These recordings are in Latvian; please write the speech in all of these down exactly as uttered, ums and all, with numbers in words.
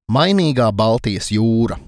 Mainīgā Baltijas jūra.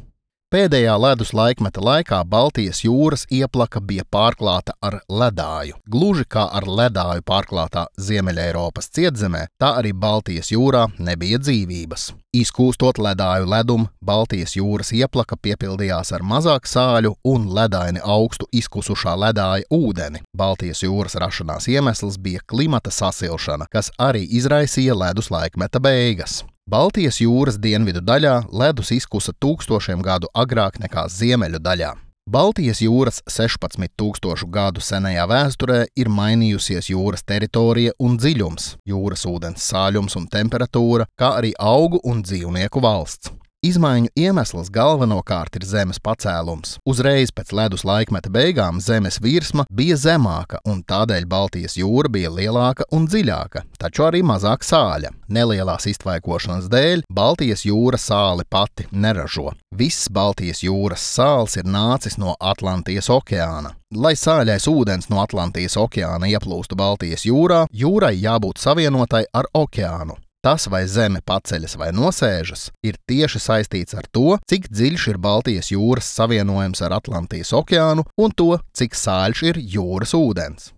Pēdējā ledus laikmeta laikā Baltijas jūras ieplaka bija pārklāta ar ledāju. Gluži kā ar ledāju pārklātā Ziemeļeiropas cietzemē, tā arī Baltijas jūrā nebija dzīvības. Izkūstot ledāju ledumu, Baltijas jūras ieplaka piepildījās ar mazāk sāļu un ledaini augstu izkusušā ledāja ūdeni. Baltijas jūras rašanās iemesls bija klimata sasilšana, kas arī izraisīja ledus laikmeta beigas. Baltijas jūras dienvidu daļā ledus izkusa tūkstošiem gadu agrāk nekā ziemeļu daļā. Baltijas jūras sešpadsmit tūkstošu gadu senajā vēsturē ir mainījusies jūras teritorija un dziļums, jūras ūdens sāļums un temperatūra, kā arī augu un dzīvnieku valsts. Izmaiņu iemesls galvenokārt ir zemes pacēlums. Uzreiz pēc ledus laikmeta beigām zemes virsma bija zemāka, un tādēļ Baltijas jūra bija lielāka un dziļāka, taču arī mazāk sāļa. Nelielās iztvaikošanas dēļ Baltijas jūra sāli pati neražo. Viss Baltijas jūras sāls ir nācis no Atlantijas okeāna. Lai sāļais ūdens no Atlantijas okeāna ieplūstu Baltijas jūrā, jūrai jābūt savienotai ar okeānu. Tas, vai zeme paceļas vai nosēžas, ir tieši saistīts ar to, cik dziļš ir Baltijas jūras savienojums ar Atlantijas okeānu un to, cik sāļš ir jūras ūdens.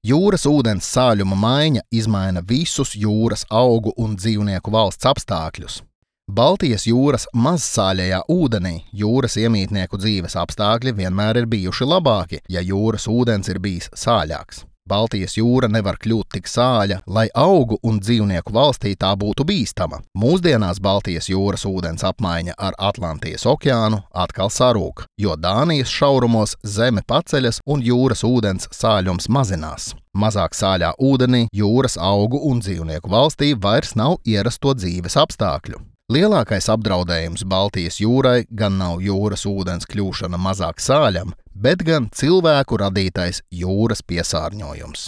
Jūras ūdens sāļuma maiņa izmaina visus jūras augu un dzīvnieku valsts apstākļus. Baltijas jūras mazsāļajā ūdenī jūras iemītnieku dzīves apstākļi vienmēr ir bijuši labāki, ja jūras ūdens ir bijis sāļāks. Baltijas jūra nevar kļūt tik sāļa, lai augu un dzīvnieku valstī tā būtu bīstama. Mūsdienās Baltijas jūras ūdens apmaiņa ar Atlantijas okeānu atkal sarūk, jo Dānijas šaurumos zeme paceļas un jūras ūdens sāļums mazinās. Mazāk sāļā ūdenī jūras augu un dzīvnieku valstī vairs nav ierasto dzīves apstākļu. Lielākais apdraudējums Baltijas jūrai gan nav jūras ūdens kļūšana mazāk sāļam, bet gan cilvēku radītais jūras piesārņojums.